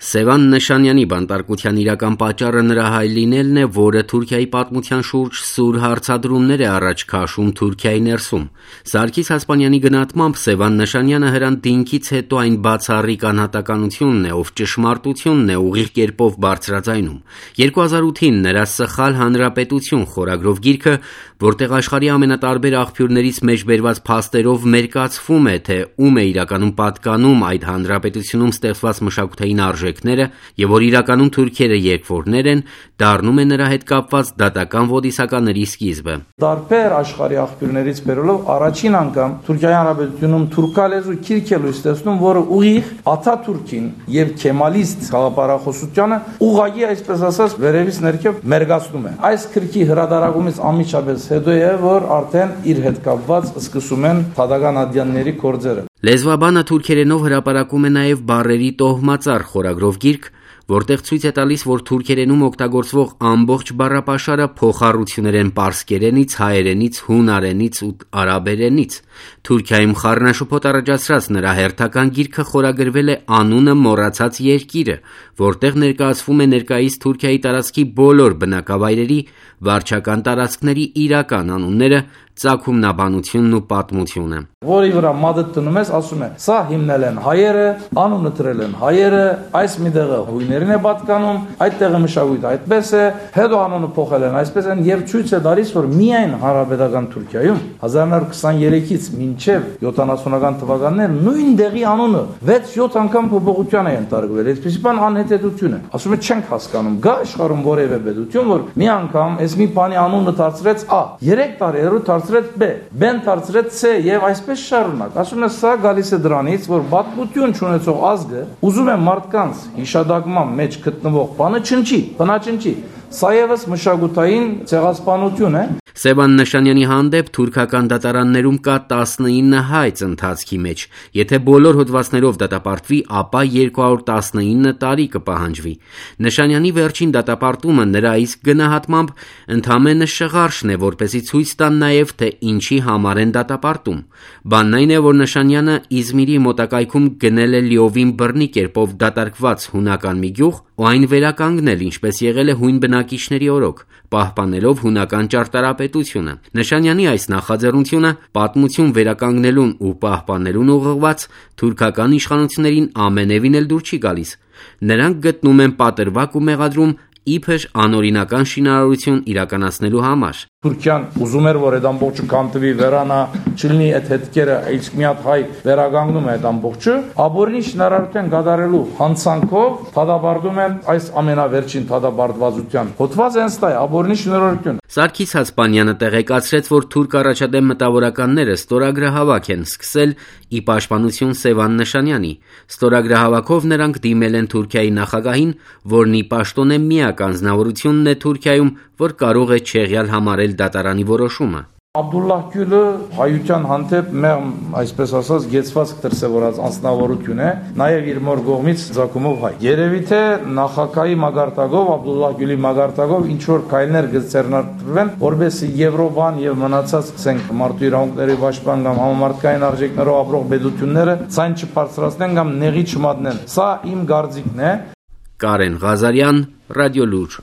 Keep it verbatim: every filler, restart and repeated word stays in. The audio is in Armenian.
Սևան Նշանյանի բանտարկության իրական պատճառը նրա հայ լինելն է, որը Թուրքիայի պատմության շուրջ սուր հարցադրումներ է առաջ քաշում Թուրքիայի ներսում։ Սարգիս Հասպանյանի գնահատմամբ Սևան Նշանյանը հրանտինքից հետո այն բացառիկ անհատականությունն է, ով ճշմարտությունն է ուղիղ կերպով բարձրաձայնում։ երկու հազար ութին նրա «Սխալ հանրապետություն» խորագրով գիրքը, որտեղ աշխարհի ամենատարբեր աղբյուրներից մեջբերված փաստերով մերկացվում է, թե ում է իրականում պատկանում այդ հանրապետությունում ստեղծված մշակութային արժեքները եւ որ իրականում թուրքերը երկվորներ են, դառնում է նրա հետ կապված դատական ոդիսականների սկիզբը։ Տարբեր աշխարհի աղբյուրներից բերելով առաջին անգամ Թուրքիայի հանրապետությունում թուրքալեզու քիրք է լույս տեսնում, որը ուղիղ Աթաթուրքին եւ քեմալիստ խաղապարախոսությանը ուղղակի այսպես ասած վերևից ներքև մերգացնում է։ Այս քրքի հրադարագումից ամիջապես հետո է, որ արդեն իր հետ կապված սկսում են թադական ադյանների գործերը։ Լեզվաբանը թուրքերենով հրապարակում է նաև բառերի տոհմածառ խորագրով գիրք, որտեղ ցույց է տալիս, որ թուրքերենում օգտագործվող ամբողջ բառապաշարը փոխառություններ են պարսկերենից, հայերենից, հունարենից ու արաբերենից։ Թուրքիայում խառնաշփոթ առաջացրած նրա հերթական գիրքը խորագրվել է «Անունը մոռացած երկիրը», որտեղ ներկայացվում է ներկայիս Թուրքիայի տարածքի բոլոր բնակավայրերի, վարչական տարածքների իրական անունները, ծագումնաբանությունն ու պատմությունը։ Որի վրա մատը տնում ես, ասում է, սա հիմնել են հայերը, անունը դրել են հայերը, այս մի տեղը հույներին է պատկանում, այդ տեղը մշակույթը այդպես է, հետո անունը փոխել են այսպես են եւ ցույց է տալիս, որ միայն հանրապետական Թուրքիայում հազար նոր քսաներեքից մինչեւ յոթանասունական թվականներ նույն դեղի անունը վեց-յոթ անգամ փոփոխության է ընթարկվել։ Այսպես բան անհետեթություն է։ Ասում է չենք հասկանում, գա աշխարհում որևէ պետություն, որ մի անգամ այս մի բանի անունը դարձրեց Ա, երեք տարի հետո դարձրեց Բ, B-ն դարձրեց C եւ այսպես շարունակ։ Ասում է սա գալիս է դրանից, որ պատմություն չունեցող ազգը ուզում է մարդկանց հիշադակման մեջ գտնվող բանը չնչի, բնաչնչի։ Սա եւս մշակութային ցեղասպանություն է։ Սևան Նշանյանի հանդեպ թուրքական դատարաններում կա տասնինը հայց ընթացքի մեջ։ Եթե բոլոր հոդվածներով դատապարտվի, ապա երկու հարյուր տասնինը տարի կպահանջվի։ Նշանյանի վերջին դատապարտումը նրա իսկ գնահատմամբ ընդամենը շղարշն է, որպեսզի ցույց տան նաև, թե ինչի համար են դատապարտում։ Բանն այն է, որ Նշանյանը Իզմիրի մոտակայքում գնել է լիովին բռնի կերպով դատարկված հունական մի գյուղ ու այն վերականգնել, ինչպես եղել է հույն բնակիչների օրոք, պահպանելով հունական ճարտարապետությունը։ Նշանյանի այս նախաձեռնությունը պատմություն վերականգնելուն ու պահպանելուն ուղղված թուրքական իշխանություններին ամենևին էլ դուր չի գալիս։ Նրանք գտնում են պատրվակ ու մեղադրում իբր անօրինական շինարարություն իրականացնելու համար։ Թուրքիան ուզում էր, որ այդ ամբողջը կանտվի վերանա, չլինի այդ հետքերը, իսկ մի հատ հայ վերագանգնում է այդ ամբողջը, ապօրինի շինարարության կատարելու հանցանքով թադաբարդում են այս ամենավերջին թադաբարդվածության։ Հոդված հենց դա է, ապօրինի շինարարություն։ Սարգիս Հասպանյանը տեղեկացրեց, որ թուրք առաջադեմ մտավորականները ստորագրահավաք են սկսել ի պաշտպանություն Սևան Նշանյանի։ Ստորագրահավաքով նրանք դիմել են Թուրքիայի նախագահին, որն ի պաշտոնե միակ անձնավորությունն է Թուրքիայում, որ կարող է չեղյալ համարել դատարանի որոշումը։ Աբդուլլահ Գյուլը հայության հանդեպ մեղմ, այսպես ասած, գեցված դրսևորած անձնավորություն է, նաև իր մոր կողմից ցակումով հայ։ Երևի թե նախագահի մագարտակով, Աբդուլլահ Գյուլի մագարտակով ինչ որ քայլներ կձեռնարկվեն, որովհետեւ Եվրոպան եւ մնացած ցենք մարդու իրավունքների պաշտպան կամ համամարտկային արժեքներով ապրող պետությունները ցայն չբարձրացնեն կամ նեղի չմատնեն։ Սա իմ կարծիքն է։ Կարեն Ղազարյան, Ռադիոլուր։